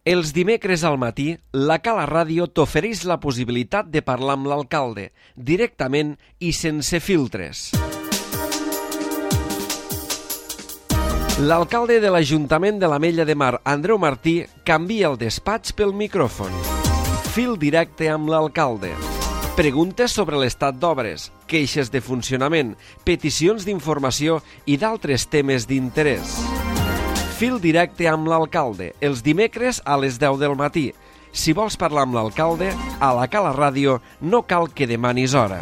Els dimecres al matí, la Cala Ràdio t'ofereix la possibilitat de parlar amb l'alcalde, directament i sense filtres. L'alcalde de l'Ajuntament de l'Ametlla de Mar, Andreu Martí, canvia el despatx pel micròfon. Fil directe amb l'alcalde. Preguntes sobre l'estat d'obres, queixes de funcionament, peticions d'informació i d'altres temes d'interès. Fil directe amb l'alcalde, els dimecres a les 10 del matí. Si vols parlar amb l'alcalde, a la Cala Ràdio no cal que demanis hora.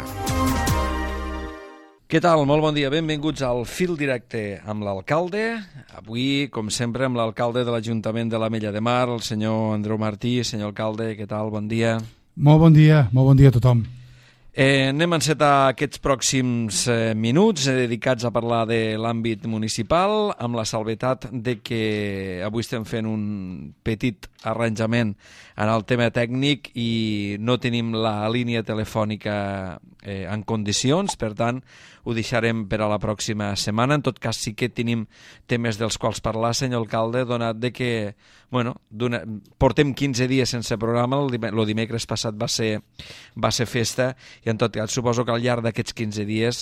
Què tal? Molt bon dia. Benvinguts al Fil directe amb l'alcalde. Avui, com sempre, amb l'alcalde de l'Ajuntament de l'Ametlla de Mar, el senyor Andreu Martí. Senyor alcalde, què tal? Bon dia. Molt bon dia a tothom. Anem a encetar aquests pròxims minuts dedicats a parlar de l'àmbit municipal, amb la salvetat de que avui estem fent un petit arranjament en el tema tècnic i no tenim la línia telefònica en condicions, per tant ho deixarem per a la pròxima setmana. En tot cas sí que tenim temes dels quals parlar, senyor alcalde, donat de que portem 15 dies sense programa, el dimecres passat va ser festa, i en tot cas suposo que al llarg d'aquests 15 dies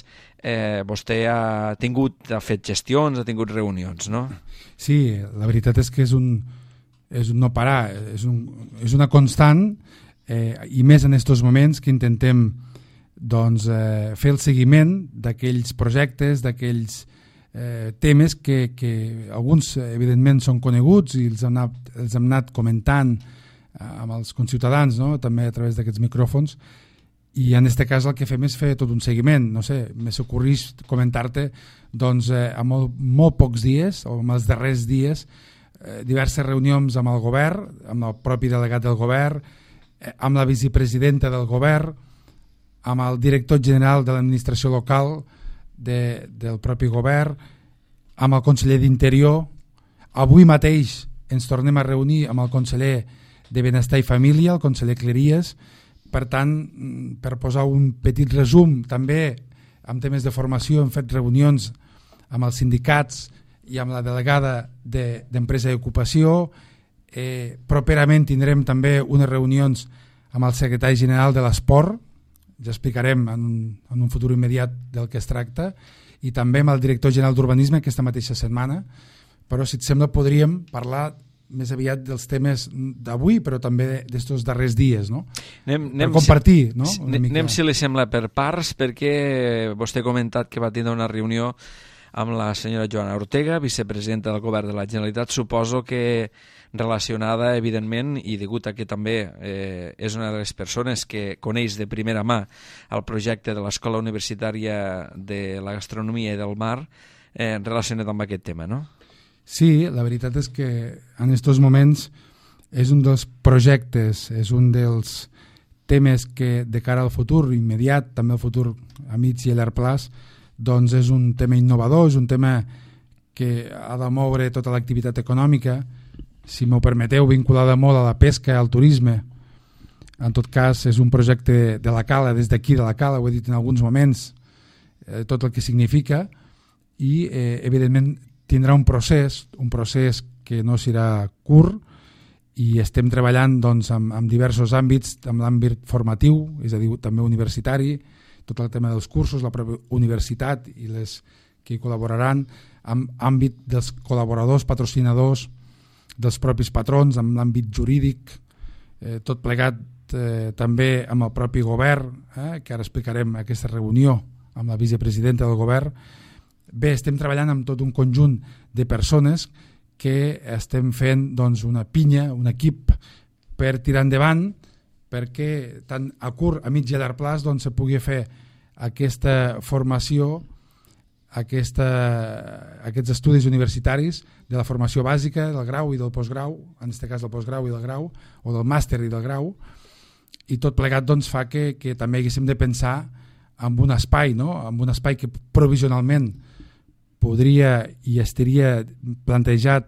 vostè ha fet gestions, ha tingut reunions, no? Sí, la veritat és que és un no parar, és una constant, i més en aquests moments que intentem fer el seguiment d'aquells projectes, d'aquells temes que alguns evidentment són coneguts i els hem anat comentant amb els conciutadans, no? També a través d'aquests micròfons, i en aquest cas el que fem és fer tot un seguiment. No sé, m'és ocorrit comentar-te a molt pocs dies o en els darrers dies diverses reunions amb el govern, amb el propi delegat del govern, amb la vicepresidenta del govern, amb el director general de l'administració local del propi govern, amb el conseller d'Interior. Avui mateix ens tornem a reunir amb el conseller de Benestar i Família, el conseller Cleries. Per tant, per posar un petit resum, també amb temes de formació hem fet reunions amb els sindicats i amb la delegada d'Empresa i Ocupació. Properament tindrem també unes reunions amb el secretari general de l'Esport, ja explicarem en un futur immediat del que es tracta, i també amb el director general d'Urbanisme aquesta mateixa setmana. Però si et sembla podríem parlar més aviat dels temes d'avui, però també d'estos darrers dies, no? Per compartir, no? Anem, si li sembla, per parts, perquè vostè ha comentat que va tindre una reunió amb la senyora Joana Ortega, vicepresidenta del Govern de la Generalitat, suposo que relacionada, evidentment, i degut a que també és una de les persones que coneix de primera mà el projecte de l'Escola Universitària de la Gastronomia i del Mar, relacionat amb aquest tema, no? Sí, la veritat és que en aquests moments és un dels projectes, és un dels temes que de cara al futur immediat, també al futur a mig i a llarg plaç, doncs és un tema innovador, és un tema que ha de moure tota l'activitat econòmica, si m'ho permeteu, vinculada molt a la pesca, al turisme. En tot cas, és un projecte de la Cala, des d'aquí de la Cala, ho he dit en alguns moments, tot el que significa, i evidentment tindrà un procés que no serà curt, i estem treballant amb diversos àmbits, amb l'àmbit formatiu, és a dir, també universitari, tot el tema dels cursos, la pròpia universitat i les que hi col·laboraran, amb l'àmbit dels col·laboradors, patrocinadors, dels propis patrons, amb l'àmbit jurídic, tot plegat també amb el propi govern, que ara explicarem aquesta reunió amb la vicepresidenta del govern. Bé, estem treballant amb tot un conjunt de persones que estem fent una pinya, un equip per tirar endavant, perquè tant a curt, a mig i a llarg plaç se pugui fer aquesta formació, aquests estudis universitaris de la formació bàsica, del grau i del postgrau, en aquest cas del postgrau i del grau, o del màster i del grau, i tot plegat fa que també haguéssim de pensar en un espai, no? En un espai que provisionalment podria i estaria plantejat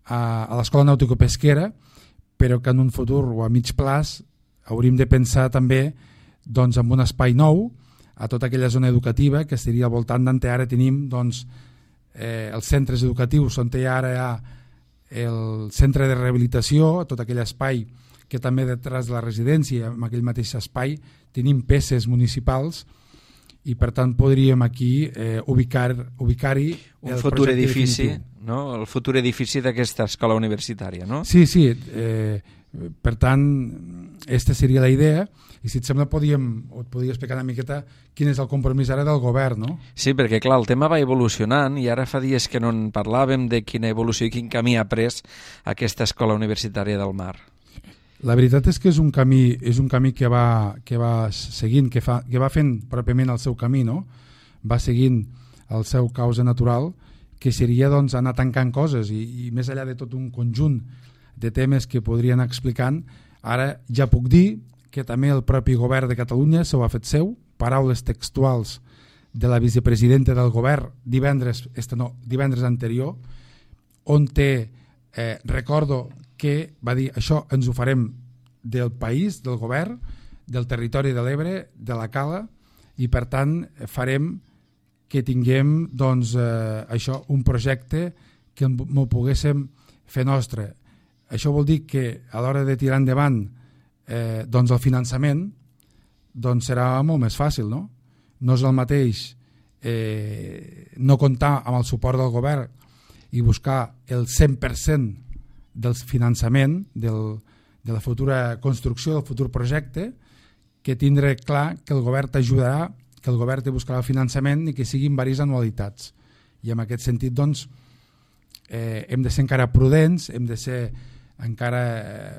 a l'Escola Nàutico-Pesquera, però que en un futur o a mig plaç hauríem de pensar també en un espai nou a tota aquella zona educativa que estaria al voltant d'on ara tenim els centres educatius on ara hi ha el centre de rehabilitació, tot aquell espai que també detrás de la residència, en aquell mateix espai, tenim peces municipals i per tant podríem aquí ubicar-hi un futur edifici, no? El futur edifici d'aquesta escola universitària, no? Sí, per tant, aquesta seria la idea, i si et sembla et podria explicar una miqueta quin és el compromís ara del govern, no? Sí, perquè clar, el tema va evolucionant i ara fa dies que no en parlàvem de quina evolució i quin camí ha pres aquesta escola universitària del Mar. La veritat és que és un camí que va seguint, que va fent pròpiament el seu camí, no? Va seguint el seu causa natural, que seria doncs, anar tancant coses i més enllà de tot un conjunt de temes que podrien anar explicant, ara ja puc dir que també el propi govern de Catalunya s'ho ha fet seu, paraules textuals de la vicepresidenta del govern divendres anterior, on recordo que va dir això ens ho farem del país, del govern, del territori de l'Ebre, de la Cala, i per tant farem que tinguem doncs, això, un projecte que m'ho poguéssim fer nostre. Això vol dir que a l'hora de tirar endavant doncs el finançament doncs serà molt més fàcil, no? No és el mateix no comptar amb el suport del govern i buscar el 100% del finançament de la futura construcció, del futur projecte, que tindre clar que el govern t'ajudarà, que el govern te buscarà el finançament i que siguin diverses anualitats. I en aquest sentit, doncs, hem de ser encara prudents, hem de ser encara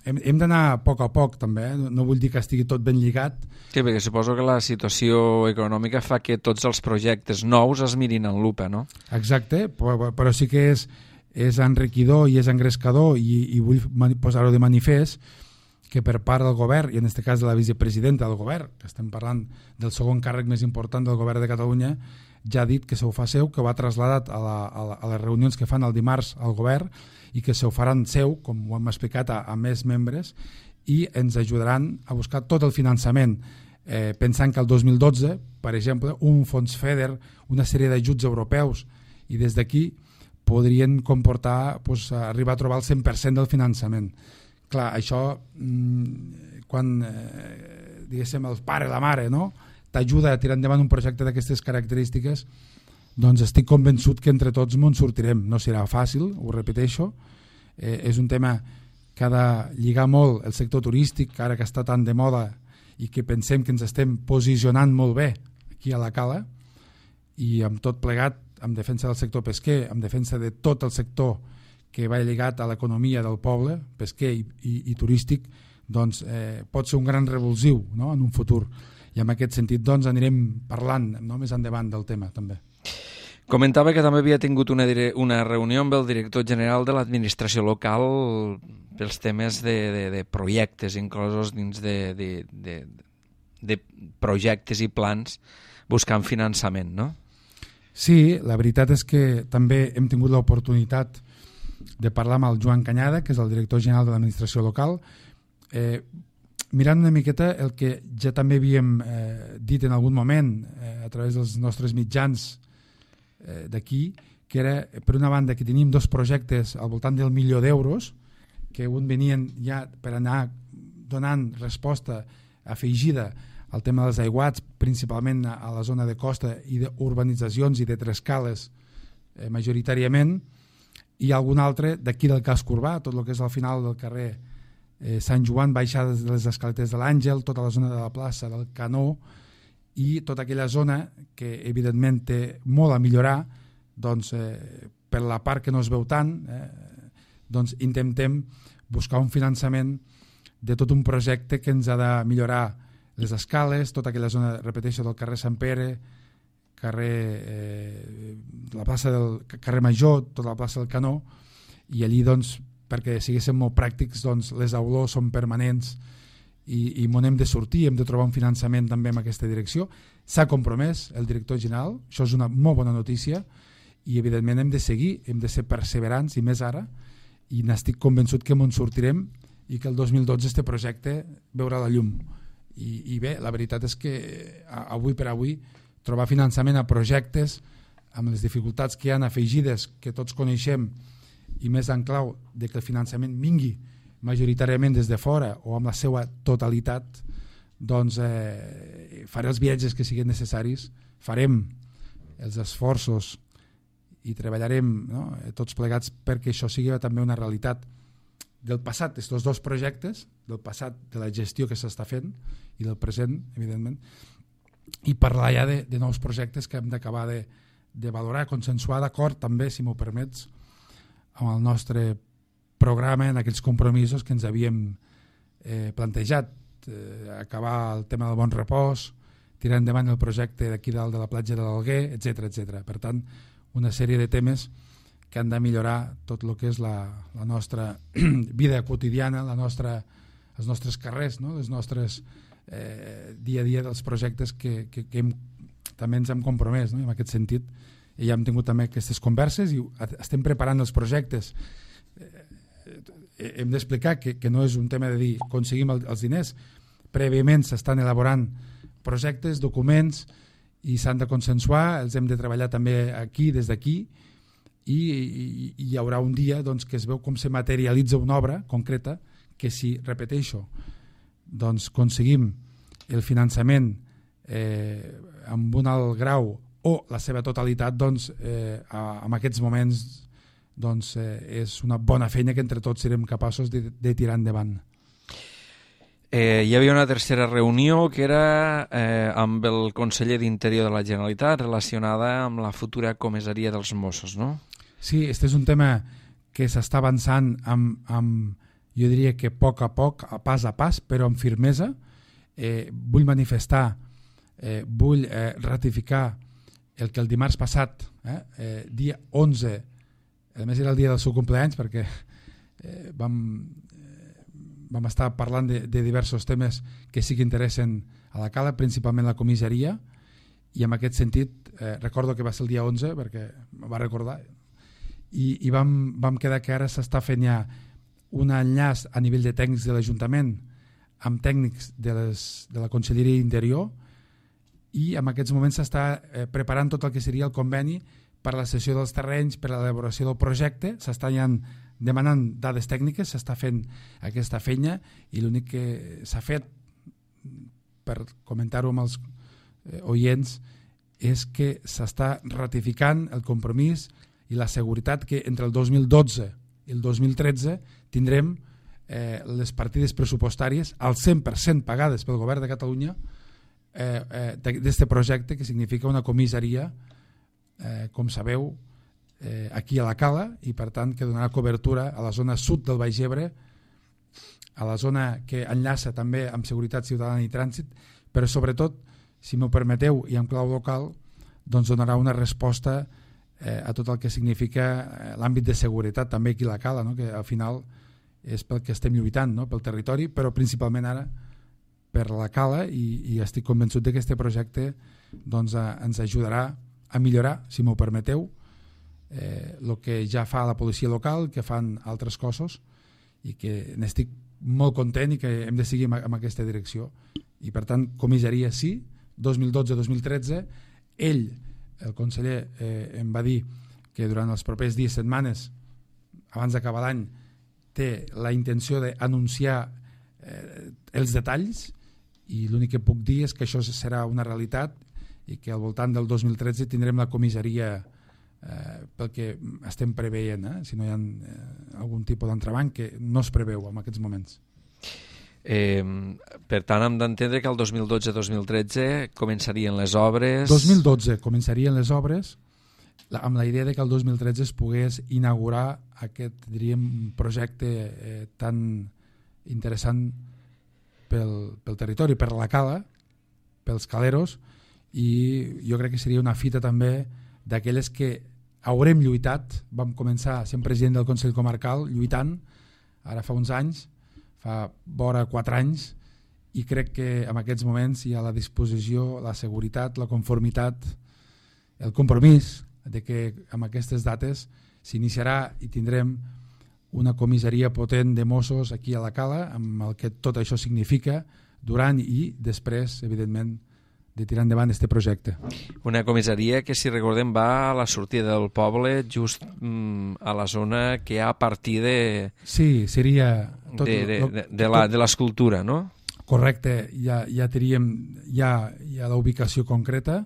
hem d'anar a poc també, no vull dir que estigui tot ben lligat. Sí, perquè suposo que la situació econòmica fa que tots els projectes nous es mirin en lupa, no? Exacte, però sí que és enriquidor i és engrescador i vull posar-ho de manifest que per part del govern, i en aquest cas de la vicepresidenta del govern, que estem parlant del segon càrrec més important del govern de Catalunya, ja ha dit que se ho fa seu, que ho ha traslladat a les reunions que fan el dimarts al govern i que se ho faran seu, com ho hem explicat, a més membres, i ens ajudaran a buscar tot el finançament, pensant que el 2012, per exemple, un fons FEDER, una sèrie d'ajuts europeus, i des d'aquí podrien comportar arribar a trobar el 100% del finançament. Clar, això, quan diguéssim el pare o la mare t'ajuda a tirar endavant un projecte d'aquestes característiques, doncs estic convençut que entre tots m'en sortirem. No serà fàcil, ho repeteixo, és un tema que ha de lligar molt el sector turístic, ara que està tan de moda i que pensem que ens estem posicionant molt bé aquí a la Cala, i amb tot plegat, en defensa del sector pesquer, en defensa de tot el sector que va lligat a l'economia del poble, pesquer i turístic, doncs pot ser un gran revulsiu, no?, en un futur. I en aquest sentit doncs anirem parlant més endavant del tema també. Comentava que també havia tingut una reunió amb el director general de l'administració local pels temes de projectes inclosos dins de projectes i plans buscant finançament, no? Sí, la veritat és que també hem tingut l'oportunitat de parlar amb el Joan Canyada, que és el director general de l'administració local, mirant una miqueta el que ja també havíem dit en algun moment a través dels nostres mitjans d'aquí, que era, per una banda, que teníem dos projectes al voltant del €1.000.000, que un venien ja per anar donant resposta afegida al tema dels aiguats, principalment a la zona de costa i d'urbanitzacions i de trescales majoritàriament, i algun altre d'aquí del casc urbà, tot el que és al final del carrer Sant Joan, baixades de les escaletes de l'Àngel, tota la zona de la plaça del Canó i tota aquella zona que evidentment té molt a millorar, doncs per la part que no es veu tant, doncs intentem buscar un finançament de tot un projecte que ens ha de millorar les escales, tota aquella zona, repeteixo, del carrer Sant Pere, la plaça del carrer Major, tota la plaça del Canó, i allí doncs, perquè siguéssim molt pràctics, doncs les olors són permanents i m'on hem de sortir, hem de trobar un finançament també en aquesta direcció. S'ha compromès el director general, això és una molt bona notícia, i evidentment hem de seguir, hem de ser perseverants, i més ara, i n'estic convençut que m'on sortirem i que el 2012 este projecte veurà la llum. I bé, la veritat és que avui per avui trobar finançament a projectes amb les dificultats que hi ha afegides, que tots coneixem, i més en clau de que el finançament vingui majoritàriament des de fora o amb la seva totalitat, doncs faré els viatges que siguin necessaris, farem els esforços i treballarem, no, tots plegats perquè això sigui també una realitat del passat, d'aquests dos projectes, del passat de la gestió que s'està fent i del present, evidentment, i parlar ja de nous projectes que hem d'acabar de valorar, consensuar d'acord també, si m'ho permets, amb el nostre programa en aquells compromisos que ens havíem plantejat, acabar el tema del bon repòs, tirar endavant el projecte d'aquí dalt de la platja de l'Alguer, etc etc. Per tant, una sèrie de temes que han de millorar tot el que és la nostra vida quotidiana, els nostres carrers, no? Les nostres dia a dia dels projectes que també ens hem compromès, no? En aquest sentit, i ja hem tingut també aquestes converses i estem preparant els projectes. Hem d'explicar que no és un tema de dir aconseguim els diners, prèviament s'estan elaborant projectes, documents, i s'han de consensuar, els hem de treballar també aquí, des d'aquí, i hi haurà un dia doncs, que es veu com se materialitza una obra concreta que, si, repeteixo, doncs aconseguim el finançament amb un alt grau o la seva totalitat, doncs en aquests moments doncs, és una bona feina que entre tots serem capaços de tirar endavant. Hi havia una tercera reunió que era amb el conseller d'Interior de la Generalitat relacionada amb la futura comissaria dels Mossos, no? Sí, este és un tema que s'està avançant amb, jo diria que a poc, a pas, però amb firmesa. Vull manifestar, vull ratificar el que el dimarts passat, dia 11, a més era el dia del seu cumpleaños, perquè vam estar parlant de diversos temes que sí que interessen a la Cala, principalment la comissaria, i en aquest sentit recordo que va ser el dia 11 perquè em va recordar, i vam quedar que ara s'està fent ja un enllaç a nivell de tècnics de l'Ajuntament amb tècnics de la Conselleria d'Interior, i en aquests moments s'està preparant tot el que seria el conveni per a la cessió dels terrenys, per a l'elaboració del projecte. S'està ja demanant dades tècniques, s'està fent aquesta feina, i l'únic que s'ha fet, per comentar-ho amb els oients, és que s'està ratificant el compromís i la seguretat que entre el 2012 i el 2013 tindrem les partides pressupostàries al 100% pagades pel govern de Catalunya d'aquest projecte, que significa una comissaria, com sabeu, aquí a la Cala, i per tant que donarà cobertura a la zona sud del Baix Ebre, a la zona que enllaça també amb seguretat ciutadana i trànsit, però sobretot, si m'ho permeteu, i en clau local, doncs donarà una resposta a tot el que significa l'àmbit de seguretat també aquí a la Cala, no? Que al final és pel que estem lluitant, no? Pel territori, però principalment ara per la Cala, i estic convençut que aquest projecte doncs, ens ajudarà a millorar, si m'ho permeteu, el que ja fa la policia local, que fan altres cossos, i que n'estic molt content i que hem de seguir en aquesta direcció. I per tant, comissaria sí, 2012-2013, ell, el conseller, em va dir que durant els propers dies, setmanes, abans d'acabar l'any, té la intenció d'anunciar els detalls, i l'únic que puc dir és que això serà una realitat i que al voltant del 2013 tindrem la comissaria pel que estem preveient, si no hi ha algun tipus d'entrebanc, que no es preveu en aquests moments. Per tant, hem d'entendre que el 2012-2013 començarien les obres... 2012 començarien les obres, amb la idea de que el 2013 es pogués inaugurar aquest, diríem, projecte tan interessant pel territori, per la Cala, pels caleros, i jo crec que seria una fita també d'aquelles que haurem lluitat. Vam començar sent president del Consell Comarcal lluitant, ara fa uns anys, fa vora 4 anys, i crec que en aquests moments hi ha la disposició, la seguretat, la conformitat, el compromís de que amb aquestes dates s'iniciarà i tindrem una comissaria potent de Mossos aquí a la Cala, amb el que tot això significa durant i després, evidentment, tirar endavant aquest projecte. Una comissaria que, si recordem, va a la sortida del poble, just a la zona que hi ha a partir de... Sí, seria... de l'escultura, no? Correcte, ja teníem ja la ubicació concreta.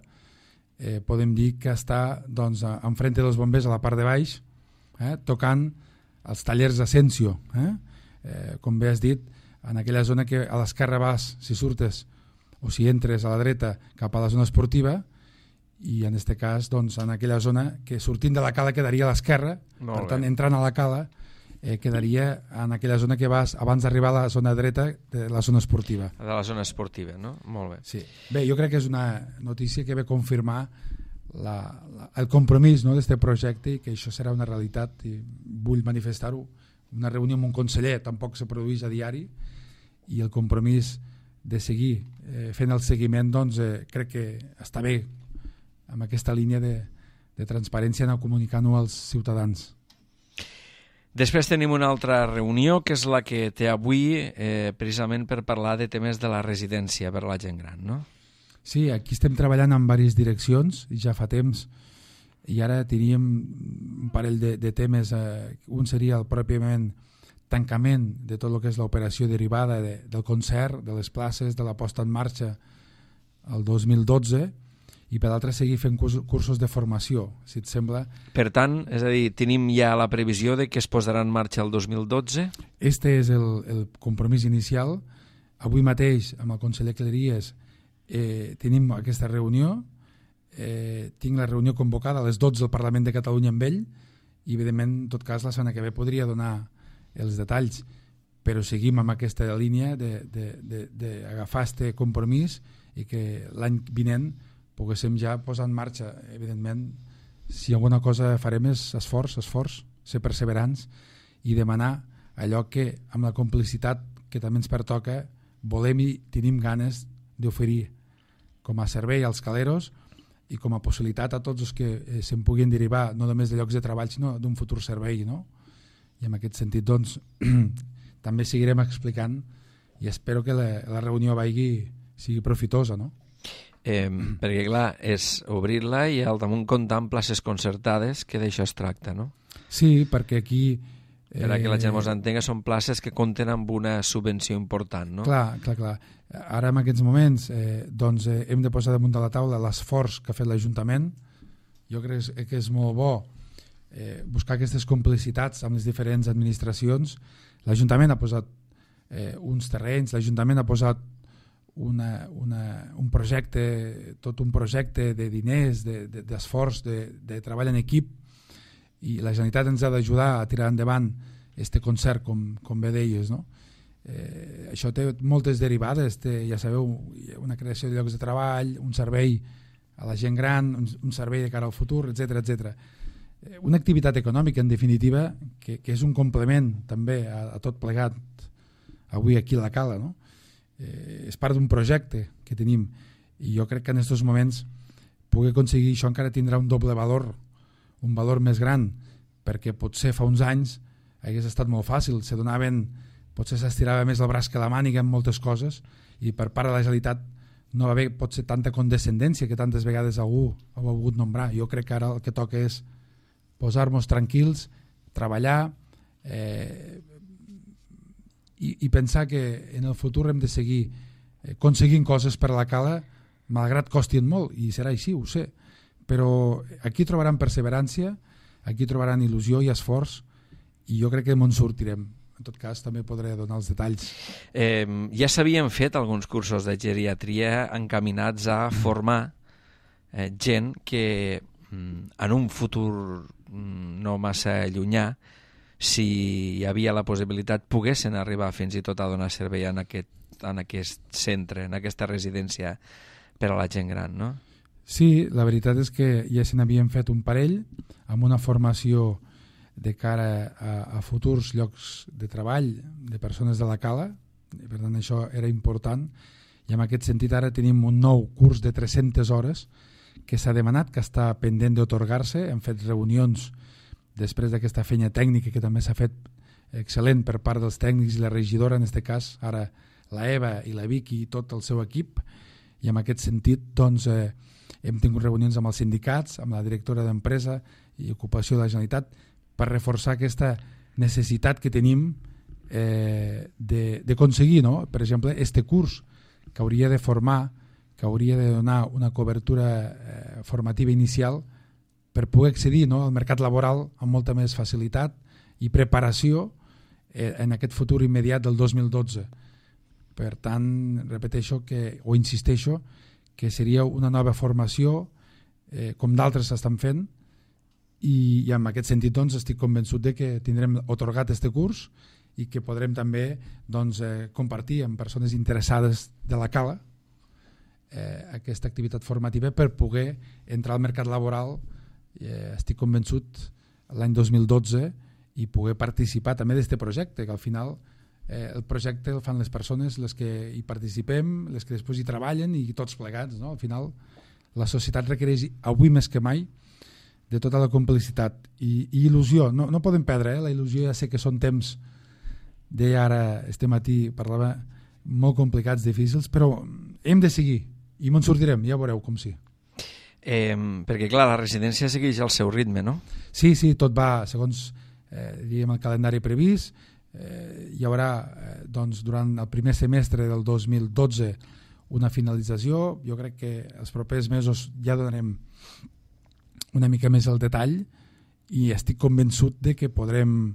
Podem dir que està doncs, enfrente dels bombers a la part de baix, tocant els tallers Asensio. Com bé has dit, en aquella zona que a l'esquerra vas, si surtes o si entres a la dreta cap a la zona esportiva, i en aquest cas doncs, en aquella zona que sortint de la cala quedaria a l'esquerra, per tant entrant a la cala quedaria en aquella zona que vas abans d'arribar a la zona dreta de la zona esportiva. De la zona esportiva, no? Molt bé. Sí. Bé, jo crec que és una notícia que ve confirmar el compromís, no, d'aquest projecte, i que això serà una realitat, i vull manifestar-ho. Una reunió amb un conseller tampoc se produeix a diari, i el compromís de seguir fent el seguiment, doncs crec que està bé amb aquesta línia de transparència, anar comunicant-ho als ciutadans. Després tenim una altra reunió, que és la que té avui, precisament per parlar de temes de la residència per a la gent gran, no? Sí, aquí estem treballant en diverses direccions, ja fa temps, i ara teníem un parell de temes. Un seria el pròpiament tancament de tot el que és l'operació derivada del concert, de les places, de la posta en marxa el 2012, i per l'altre seguir fent cursos de formació, si et sembla. Per tant, és a dir, tenim ja la previsió de que es posarà en marxa el 2012? Este és el compromís inicial. Avui mateix, amb el conseller Cleries, tenim aquesta reunió. Tinc la reunió convocada a les 12 al Parlament de Catalunya amb ell, i evidentment, en tot cas, la setmana que ve podria donar els detalls, però seguim amb aquesta línia d'agafar este compromís i que l'any vinent poguéssim ja posar en marxa. Evidentment, si alguna cosa farem és esforç, ser perseverants i demanar allò que, amb la complicitat que també ens pertoca, volem i tenim ganes d'oferir com a servei als caleros i com a possibilitat a tots els que se'n puguin derivar, no només de llocs de treball, sinó d'un futur servei, no? I en aquest sentit, doncs, també seguirem explicant, i espero que la reunió sigui profitosa, no? Perquè, clar, és obrir-la i al damunt comptar amb places concertades, que d'això es tracta, no? Sí, perquè aquí... Per a que la gent ens entenga, són places que compten amb una subvenció important, no? Clar. Ara, en aquests moments, doncs, hem de posar damunt de la taula l'esforç que ha fet l'Ajuntament. Jo crec que és molt bo buscar aquestes complicitats amb les diferents administracions. L'Ajuntament ha posat uns terrenys, l'Ajuntament ha posat un projecte, tot un projecte de diners, d'esforç, de treball en equip, i la Generalitat ens ha d'ajudar a tirar endavant este concert, com bé deies, no? Això té moltes derivades, ja sabeu, una creació de llocs de treball, un servei a la gent gran, un servei de cara al futur, etc. Una activitat econòmica, en definitiva, que és un complement també a tot plegat avui aquí a la Cala, no? És part d'un projecte que tenim, i jo crec que en aquests moments poder aconseguir això encara tindrà un doble valor, un valor més gran, perquè potser fa uns anys hagués estat molt fàcil, potser s'estirava més el braç que la màniga en moltes coses, i per part de la Generalitat no va haver potser tanta condescendència que tantes vegades algú ha volgut nombrar. Jo crec que ara el que toca és posar-nos tranquils, treballar i pensar que en el futur hem de seguir aconseguint coses per a la Cala, malgrat costin molt, i serà així, ho sé, però aquí trobaran perseverància, aquí trobaran il·lusió i esforç, i jo crec que me'n sortirem. En tot cas, també podré donar els detalls. Ja s'havien fet alguns cursos de geriatria encaminats a formar gent que en un futur no massa llunyà, si hi havia la possibilitat, poguessin arribar fins i tot a donar servei en aquest centre, en aquesta residència per a la gent gran, no? Sí, la veritat és que ja se n'havien fet un parell amb una formació de cara a futurs llocs de treball de persones de la Cala, per tant això era important, i en aquest sentit ara tenim un nou curs de 300 hores que s'ha demanat, que està pendent d'atorgar-se. Hem fet reunions després d'aquesta feina tècnica que també s'ha fet excel·lent per part dels tècnics i la regidora, en aquest cas ara la Eva i la Vicky i tot el seu equip, I en aquest sentit doncs, hem tingut reunions amb els sindicats, amb la directora d'Empresa i Ocupació de la Generalitat, per reforçar aquesta necessitat que tenim d'aconseguir, no? Per exemple, este curs que hauria de formar, que hauria de donar una cobertura formativa inicial per poder accedir, no, al mercat laboral amb molta més facilitat i preparació en aquest futur immediat del 2012. Per tant, repeteixo o insisteixo que seria una nova formació com d'altres s'estan fent i en aquest sentit doncs, estic convençut de que tindrem atorgat este curs i que podrem també doncs, compartir amb persones interessades de la Cala aquesta activitat formativa per poder entrar al mercat laboral, estic convençut, l'any 2012 i poder participar també d'aquest projecte, que al final el projecte el fan les persones, les que hi participem, les que després hi treballen i tots plegats. No? Al final la societat requereix avui més que mai de tota la complicitat i il·lusió. No podem perdre, la il·lusió. Ja sé que són temps, deia ara este matí, parlava, molt complicats, difícils, però hem de seguir i me'n sortirem, ja veureu com sí. Perquè clar, la residència segueix al seu ritme, no? Sí, tot va segons diríem el calendari previst. Hi haurà doncs, durant el primer semestre del 2012 una finalització. Jo crec que els propers mesos ja donarem una mica més el detall i estic convençut de que podrem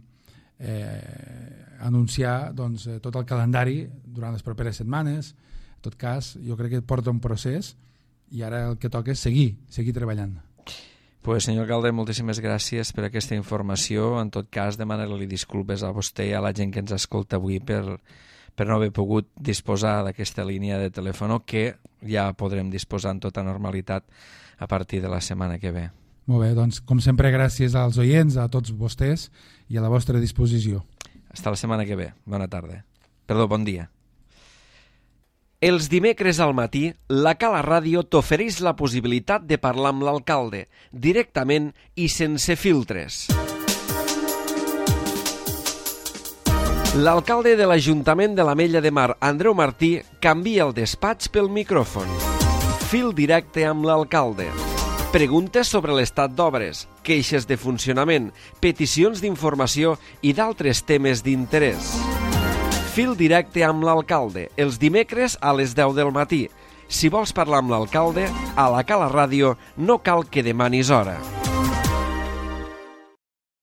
anunciar doncs, tot el calendari durant les properes setmanes. En tot cas, jo crec que porta un procés i ara el que toca és seguir treballant. Pues, senyor alcalde, moltíssimes gràcies per aquesta informació. En tot cas, demanar-li disculpes a vostè i a la gent que ens escolta avui per no haver pogut disposar d'aquesta línia de telèfon que ja podrem disposar en tota normalitat a partir de la setmana que ve. Molt bé, doncs, com sempre, gràcies als oients, a tots vostès i a la vostra disposició. Fins la setmana que ve. Bona tarda. Perdó, bon dia. Els dimecres al matí, la Cala Ràdio t'ofereix la possibilitat de parlar amb l'alcalde, directament i sense filtres. L'alcalde de l'Ajuntament de l'Ametlla de Mar, Andreu Martí, canvia el despatx pel micròfon. Fil directe amb l'alcalde. Preguntes sobre l'estat d'obres, queixes de funcionament, peticions d'informació i d'altres temes d'interès. Fil directe amb l'alcalde, els dimecres a les 10 del matí. Si vols parlar amb l'alcalde, a la Cala Ràdio no cal que demanis hora.